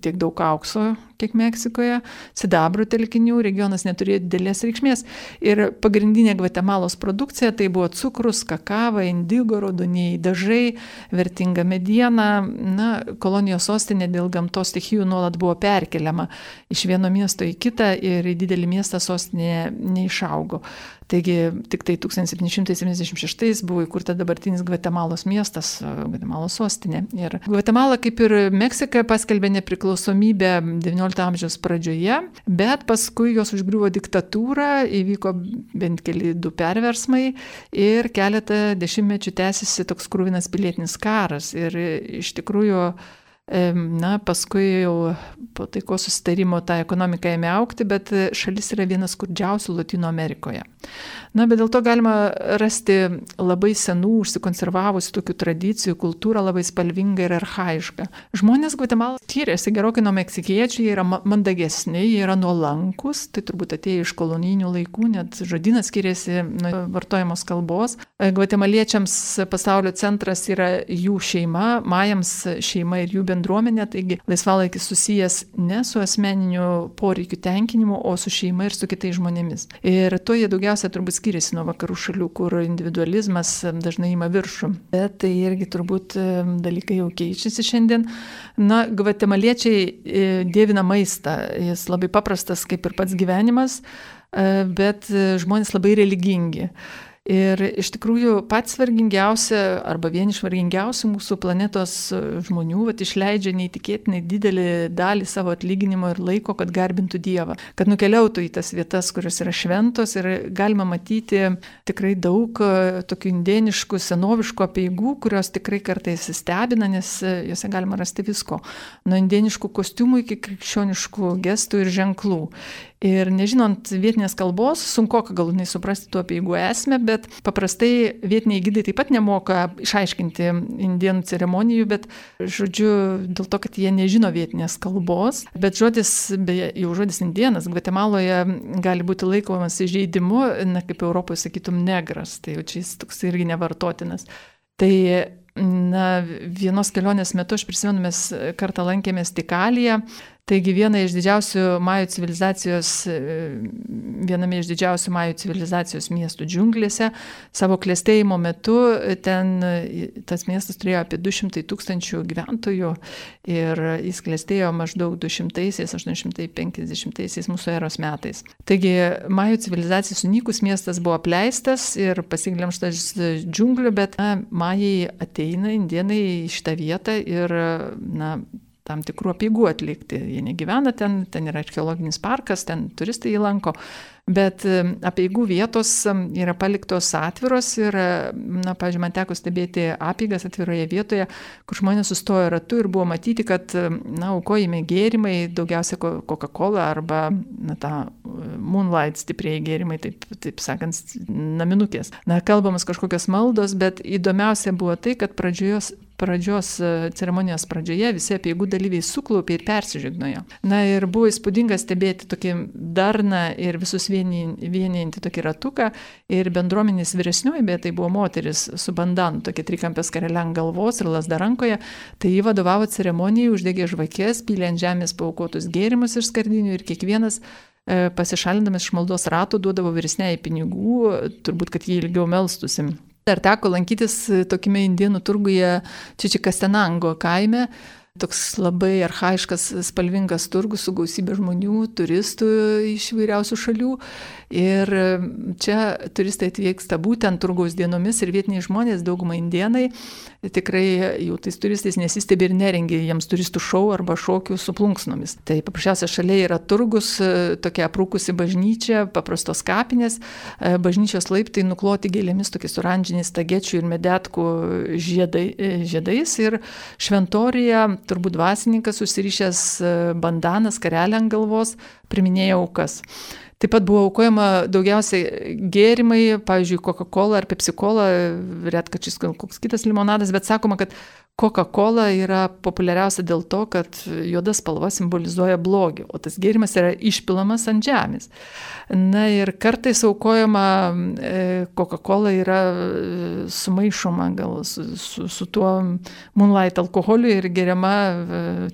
tiek daug aukso, kiek Meksikoje, sidabro telkinių, regionas neturėjo didelės reikšmės, ir pagrindinė Gvatemalos produkcija tai buvo cukrus, kakava, indigo, raudonieji dažai, vertinga mediena. Na, kolonijos sostinė dėl gamtos stichijų nuolat buvo perkeliama iš vieno miesto į kitą, ir į didelį miestą sostinė neišaugo. Taigi tik tai tūkstantis septyni šimtai septyniasdešimt šeštais buvo įkurta dabartinis Gvatemalos miestas, Gvatemalos sostinė. Ir Gvatemala, kaip ir Meksika, paskelbė nepriklausomybę devyniolikto amžiaus pradžioje, bet paskui jos užgriuvo diktatūra, įvyko bent keli du perversmai ir keletą dešimtmečių tęsiasi toks kruvinas pilietinis karas. Ir iš tikrųjų, na, paskui jau po taikos susitarimo ta ekonomika ėmė augti, bet šalis yra vienas skurdžiausių Latino Amerikoje. Na, bet dėl to galima rasti labai senų, užsikonservavusių tokių tradicijų, kultūrą labai spalvinga ir archaiška. Žmonės Gvatemala skiriasi gerokai nuo meksikiečių, jie yra mandagesni, jie yra nuolankus, tai turbūt atėjo iš kolonijinių laikų, net žodynas skiriasi nuo vartojamos kalbos. Gvatemaliečiams pasaulio centras yra jų šeima, majams šeima ir jų bendruomenė, taigi laisvalaikis susijęs ne su asmeniniu poreikiu tenkinimu, o su šeima ir su kitais žmonėmis. Ir to jie daugiausia turbūt skiriasi nuo vakarų šalių, kur individualizmas dažnai ima viršų. Bet tai irgi turbūt dalykai jau keičiasi šiandien. Na, gvatemaliečiai dievina maistą. Jis labai paprastas, kaip ir pats gyvenimas, bet žmonės labai religingi. Ir iš tikrųjų pats vargingiausia arba vieni iš vargingiausių mūsų planetos žmonių vat, išleidžia neįtikėtinai didelį dalį savo atlyginimo ir laiko, kad garbintų Dievą, kad nukeliautų į tas vietas, kurios yra šventos ir galima matyti tikrai daug tokių indėniškų, senoviškų apeigų, kurios tikrai kartais stebina, nes juose galima rasti visko. Nuo indėniškų kostiumų iki krikščioniškų gestų ir ženklų. Ir nežinant vietinės kalbos, sunku galutinai suprasti tų apeigų esmę, bet paprastai vietiniai gidai taip pat nemoka išaiškinti indėnų ceremonijų, bet žodžiu, dėl to, kad jie nežino vietinės kalbos. Bet žodis, beje, jau žodis indėnas, Gvatemaloje gali būti laikomas įžeidimu, na, kaip Europoje sakytum negras, tai jau čia jis toks irgi nevartotinas. Tai na, vienos kelionės metu, aš prisimenu, mes kartą lankėmės Tikaliją. Taigi viena iš didžiausių majų civilizacijos, viename iš didžiausių majų civilizacijos miestų džiunglėse, savo klestėjimo metu ten tas miestas turėjo apie du šimtai tūkstančių gyventojų ir jis klestėjo maždaug du šimtai aštuoni penkiasdešimt mūsų eros metais. Taigi majų civilizacijai sunykus miestas buvo apleistas ir pasiglemžtas džiunglių, bet na, majai ateina, indėnai į šitą vietą ir na, tam tikrų apeigų atlikti. Jie negyvena ten, ten yra archeologinis parkas, ten turistai jį lanko, bet apeigų vietos yra paliktos atviros ir, na, pavyzdžiui, man teko stebėti apeigas atviroje vietoje, kur žmonės sustojo ratu ir buvo matyti, kad, na, aukojami gėrimai, daugiausia Coca-Cola arba, na, tą Moonlight stipriai gėrimai, taip, taip sakant, naminukės. Na, kalbamas kažkokios maldos, bet įdomiausia buvo tai, kad pradžios pradžios ceremonijos pradžioje visi apeigų dalyviai suklaupė ir persižegnojo. Na ir buvo įspūdinga stebėti tokį darną ir visus vienijantį tokį ratuką ir bendruomenės vyresnioji, bet tai buvo moteris su bandanu, tokia trikampė skarelė ant galvos ir lazda rankoje, tai jį vadovavo ceremonijai, uždegė žvakės, pylė ant žemės paaukotus gėrimus iš skardinių ir kiekvienas pasišalindamas iš maldos ratų duodavo vyresniai pinigų, turbūt, kad jį ilgiau melstusi. Dar teko lankytis tokiame indėnų turguje Čičikastenango kaime. Toks labai archaiškas, spalvingas turgus su gausybė žmonių, turistų iš įvairiausių šalių. Ir čia turistai atvyksta būtent turgaus dienomis ir vietiniai žmonės, dauguma indėnai, tikrai jau tais turistais nesistebi ir nerengia jiems turistų šou arba šokių su plunksnomis. Tai paprasčiausia šalia yra turgus, tokia aprūkusi bažnyčia, paprastos kapinės, bažnyčios laiptai nukloti gėlėmis, tokiais oranžiniais tagečių ir medetkų žiedai, žiedais ir šventorija, turbūt dvasininkas užsirišęs bandaną, skarelę ant galvos, priminėjo aukas. Taip pat buvo aukojama daugiausiai gėrimai, pavyzdžiui, Coca-Cola ar Pepsi-Cola, retkarčiais koks kitas limonadas, bet sakoma, kad Coca-Cola yra populiariausia dėl to, kad juoda spalva simbolizuoja blogį, o tas gėrimas yra išpilamas ant žemės. Na ir kartais aukojama Coca-Cola yra sumaišoma gal su, su, su tuo Moonlight alkoholiu ir geriama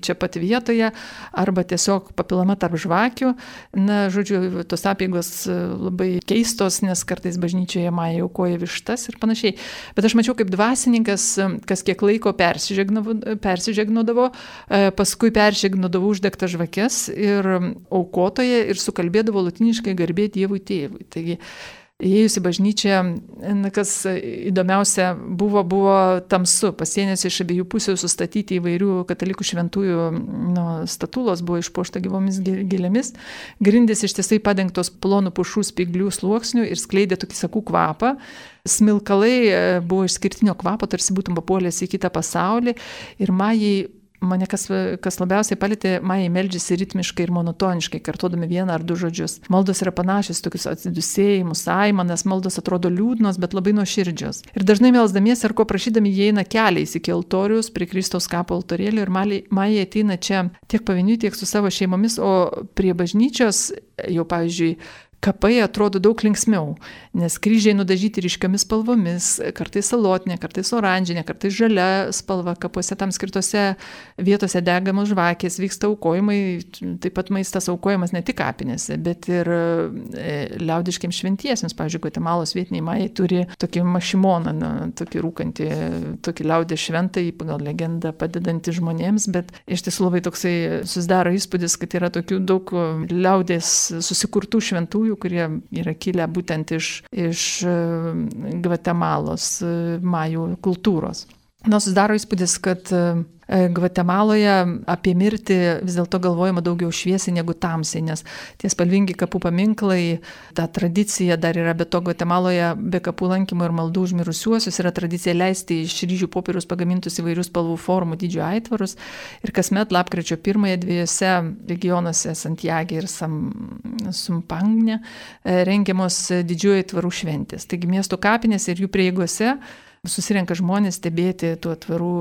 čia pat vietoje arba tiesiog papilama tarp žvakių. Na, žodžiu, tos apeigos labai keistos, nes kartais bažnyčioje majai aukoja vištas ir panašiai. Bet aš mačiau, kaip dvasininkas kas kiek laiko persižegnodavo, paskui persižegnodavo uždegtas žvakes ir aukotoje ir sukalbėdavo lotyniškai garbė Dievui tėvui. Taigi, įėjus į bažnyčią, kas įdomiausia buvo, buvo tamsu. Pasienėse iš abiejų pusių sustatyti įvairių katalikų šventųjų nu, statulos buvo išpuošta gyvomis gėlėmis. Grindys ištisai padengtos plonų pušų spyglių sluoksnių ir skleidė tokį sakų kvapą. Smilkalai buvo išskirtinio kvapo, tarsi būtum papuolęs į kitą pasaulį. Ir majai Mane kas, kas labiausiai palėtė, majai meldžiasi ritmiškai ir monotoniškai, kartuodami vieną ar du žodžius. Maldos yra panašios, tokius atsidusėjimus, aimanas, maldos atrodo liūdnos, bet labai nuoširdžios. Ir dažnai melsdamiesi ar ko prašydami jie eina keliais iki altorius, prie Kristaus kapo altorėlio ir majai ateina čia tiek pavieniui, tiek su savo šeimomis, o prie bažnyčios jau, pavyzdžiui, kapai atrodo daug linksmiau, nes kryžiai nudažyti ryškiomis spalvomis, kartais salotinė, kartais oranžinė, kartais žalia spalva, kapuose tam skirtose vietose degamos žvakės, vyksta aukojimai, taip pat maistas aukojamas ne tik kapinėse, bet ir liaudiškiams šventiesiems. Pavyzdžiui, Gvatemalos vietiniai majai turi tokį mašimoną, na, tokį rūkantį, tokį liaudės šventąjį, pagal legendą padedantį žmonėms, bet iš tiesų labai toksai susidaro įspūdis, kad yra tokių daug liaudės susikurtų šventųjų mirusiųjų, kurie yra kilę būtent iš, iš Gvatemalos majų kultūros. Na, susidaro įspūdis, kad Gvatemaloje apie mirtį vis dėlto galvojama daugiau šviesiai negu tamsiai, nes tie spalvingi kapų paminklai, ta tradicija dar yra, be to Gvatemaloje be kapų lankymo ir maldų už mirusiuosius yra tradicija leisti iš ryžių popieriaus pagamintus įvairius spalvų formų dydžio aitvarus ir kasmet lapkričio pirmąją dviejose regionuose Santiage ir Sumpangne rengiamos didžiųjų aitvarų šventės. Taigi miesto kapinėse ir jų prieigose susirenka žmonės stebėti tų atvarų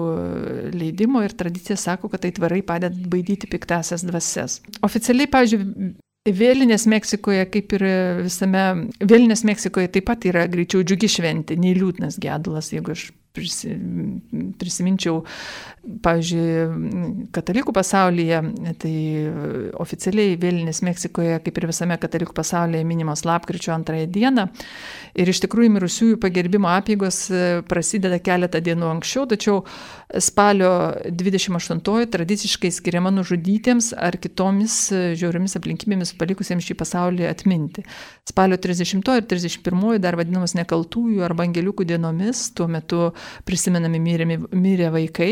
leidimo ir tradicija sako, kad aitvarai padeda baidyti piktasias dvasias. Oficialiai, pavyzdžiui, Vėlinės Meksikoje, kaip ir visame, Vėlinės Meksikoje taip pat yra greičiau džiugi šventė, nei liūdnas gedulas, jeigu aš prisiminčiau, pavyzdžiui, katalikų pasaulyje, tai oficialiai Vėlinės Meksikoje, kaip ir visame katalikų pasaulyje, minimos lapkričio antrąją dieną. Ir iš tikrųjų mirusiųjų pagerbimo apeigos prasideda keletą dienų anksčiau, tačiau spalio dvidešimt aštuntoji tradiciškai skiriama nužudytiems ar kitomis žiauriomis aplinkybėmis palikusiems šį pasaulį atminti. Spalio trisdešimtoji ir trisdešimt pirmoji dar vadinamos nekaltųjų arba angeliukų dienomis, tuo metu prisimenami mirė, mirė vaikai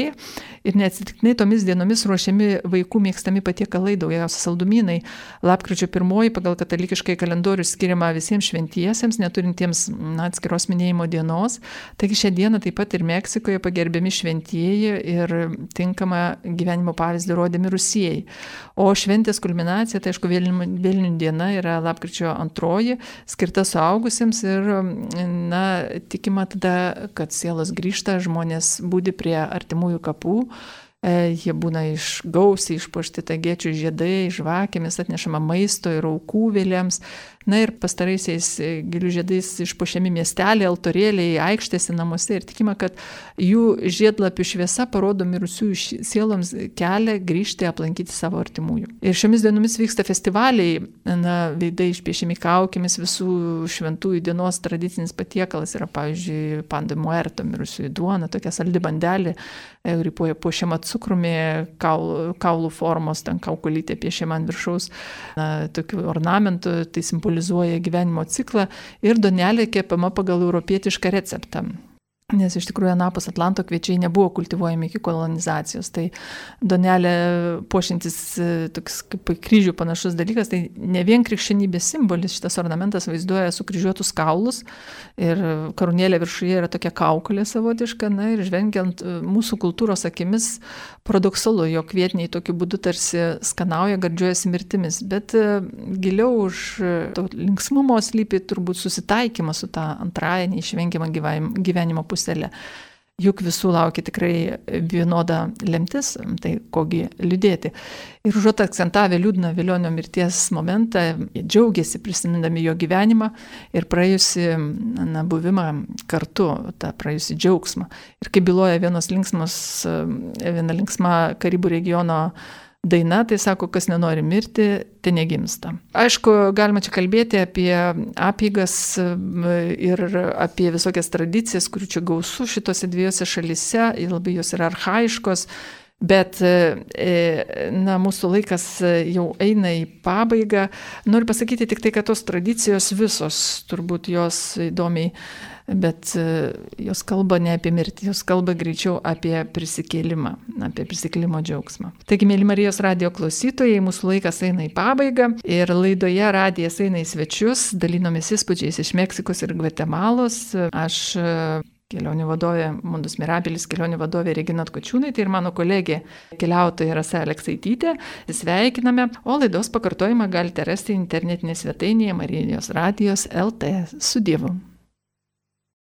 ir neatsitiktinai tomis dienomis ruošiami vaikų mėgstami patiekalai, daugiausia saldumynai. Lapkričio pirmoji pagal katalikiškai kalendorių skiriama visiems šventiesiems, neturintiems na, atskiros minėjimo dienos. Taigi šią dieną taip pat ir Meksikoje pagerbiami šventieji ir tinkama gyvenimo pavyzdį rodė mirusieji. O šventės kulminacija, tai aišku, Vėlinių diena yra lapkričio antroji, skirta suaugusiems ir na, tikima tada, kad sielos grįžta, žmonės būdi prie artimųjų kapų, e, jie būna iš gausiai išpuošti tagiečių žiedai, žvakėmis atnešama maisto ir aukų vėliams. Na ir pastaraisiais gėlių žiedais išpuošiami miesteliai, altorėliai, aikštėse, namuose ir tikima, kad jų žiedlapių šviesa parodo mirusiųjų sieloms kelią grįžti aplankyti savo artimųjų. Ir šiomis dienomis vyksta festivaliai, na, veidai išpiešiami kaukėmis, visų šventųjų dienos tradicinis patiekalas yra, pavyzdžiui, pan de muerto, mirusiųjų duona, tokia saldi bandelė, kuri puošiama cukrumi, kaulų, kaulų formos, ten kaukulytė piešiama ant viršaus, na, tokių ornamentų, tai simbolizuoja gyvenimo ciklą ir duonelė kepama pagal europietišką receptą. Nes iš tikrųjų anapus Atlanto kviečiai nebuvo kultivuojami iki kolonizacijos. Tai duonelė puošiantis toks kaip kryžių panašus dalykas, tai ne vien krikščionybės simbolis, šitas ornamentas vaizduoja sukryžiuotus kaulus ir karūnėlė viršuje yra tokia kaukolė savotiška. Na ir žvengiant mūsų kultūros akimis paradoksalu, jog vietiniai tokiu būdu tarsi skanauja, gardžiuojasi mirtimis. Bet giliau už to linksmumo slypi turbūt susitaikymas su tą antrąją neišvengiamą gyvenimo pusę. Puselė. Juk visų laukia tikrai vienoda lemtis, tai kogi liūdėti. Ir užuot akcentavę liūdną Velionio mirties momentą, jie džiaugiasi prisimindami jo gyvenimą ir praėjusi na, buvimą kartu, tą praėjusi džiaugsmą. Ir kaip byloja vienos linksmos, viena linksma Karibų regiono daina, tai sako, kas nenori mirti, te negimsta. Aišku, galima čia kalbėti apie apeigas ir apie visokias tradicijas, kurių čia gausu šitose dviejose šalyse, labai jos yra archaiškos, bet na, mūsų laikas jau eina į pabaigą. Noriu pasakyti tik tai, kad tos tradicijos visos, turbūt jos įdomiai, bet jos kalba ne apie mirtį, jos kalba greičiau apie prisikėlimą, apie prisikėlimo džiaugsmą. Taigi, mėly Marijos radijo klausytojai, mūsų laikas eina į pabaigą ir laidoje radijas eina į svečius, dalinomės įspūdžiais iš Meksikos ir Gvatemalos. Aš kelionių vadovė Mundus Mirabilis, kelionių vadovė Regina Atkočiūnaitė ir mano kolegė keliautoja Rasa Aleksaitytė. Sveikiname, o laidos pakartojimą galite rasti internetinėje svetainėje Marijos radijos L T. Su Dievu.